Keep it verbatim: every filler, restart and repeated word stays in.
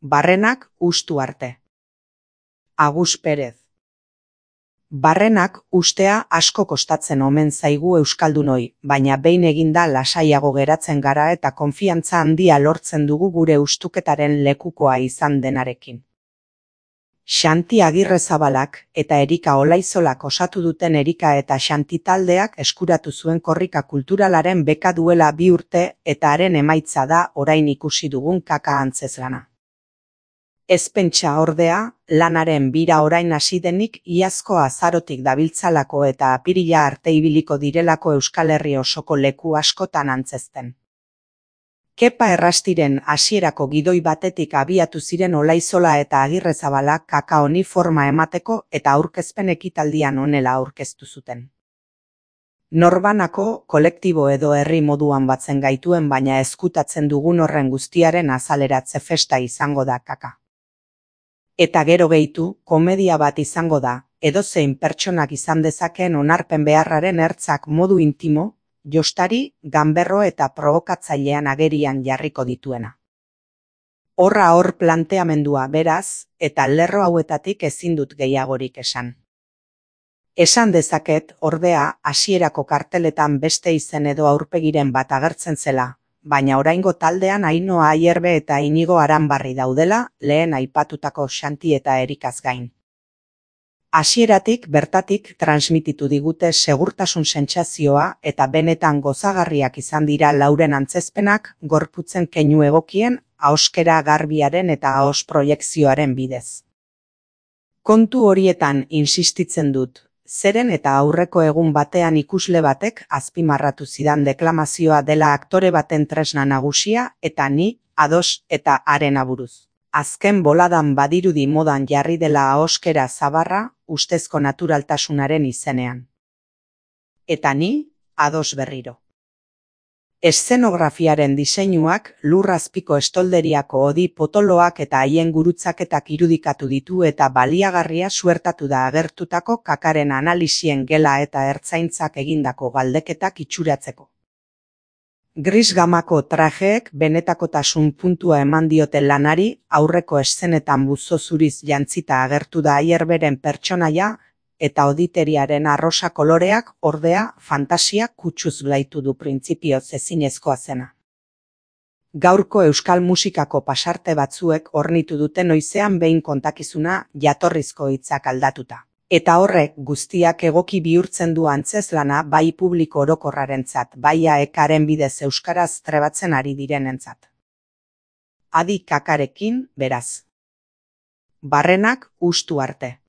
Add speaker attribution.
Speaker 1: Barrenak ustu arte. Agus Perez. Barrenak ustea asko kostatzen omen zaigu euskaldunoi, baina behin eginda lasaiago geratzen gara eta konfiantza handia lortzen dugu gure ustuketaren lekukoa izan denarekin. Xanti Agirrezabalak eta Erika Olaizolak osatu duten Erika eta Xanti taldeak eskuratu zuen korrika kulturalaren beka duela bi urte eta haren emaitza da orain ikusi dugun kaka antzezlana. Ez pentsa ordea, lanaren bira orain hasi denik iazko azarotik dabiltzalako eta apirila arte ibiliko direlako Euskal Herri osoko leku askotan antzezten. Kepa Errastiren hasierako gidoi batetik abiatu ziren Olaizola eta Agirrezabala kaka honi forma emateko eta aurkezpen ekitaldian honela aurkeztu zuten. Norbanako, kolektibo edo herri moduan batzen gaituen baina ezkutatzen dugun horren guztiaren azaleratze festa izango da kaka. Eta gero gehitu, komedia bat izango da, edozein pertsonak izan dezakeen onarpen beharraren ertzak modu intimo, jostari, ganberro eta probokatzailean agerian jarriko dituena. Horra hor planteamendua beraz, eta lerro hauetatik ezin dut gehiagorik esan. Esan dezaket, ordea, hasierako karteletan beste izen edo aurpegiren bat agertzen zela, baina oraingo taldean Ainhoa Ayerbe eta Inigo Aranbarri daudela, lehen aipatutako Xanti eta Erikaz gain. Hasieratik bertatik transmititu digute segurtasun sentsazioa eta benetan gozagarriak izan dira lauren antzezpenak gorputzen keinu egokien, ahoskera garbiaren eta ahos proiekzioaren bidez. Kontu horietan insistitzen dut, zeren eta aurreko egun batean ikusle batek azpimarratu zidan deklamazioa dela aktore baten tresna nagusia eta ni, ados eta haren aburuz. Azken boladan badirudi modan jarri dela ahoskera zabarra ustezko naturaltasunaren izenean. Eta ni, ados berriro. Eszenografiaren diseinuak lurrazpiko estolderiako hodi potoloak eta haien gurutzaketak irudikatu ditu eta baliagarria suertatu da agertutako kakaren analisien gela eta ertzaintzak egindako galdeketak itxuratzeko. Gris gamako trajeek benetakotasun puntua eman diote lanari, aurreko eszenetan buzo zuriz jantzita agertu da Ayerberen pertsonaia, eta oditeriaren arrosa koloreak ordea fantasia kutsuz blaitu du printzipioz ezinezkoa zena. Gaurko euskal musikako pasarte batzuek ornitu dute noizean behin kontakizuna jatorrizko hitzak aldatuta. Eta horrek guztiak egoki bihurtzen du antzezlana bai publiko orokorrarentzat, bai aekaren bidez euskaraz trebatzen ari direnentzat. Adi kakarekin, beraz. Barrenak ustu arte.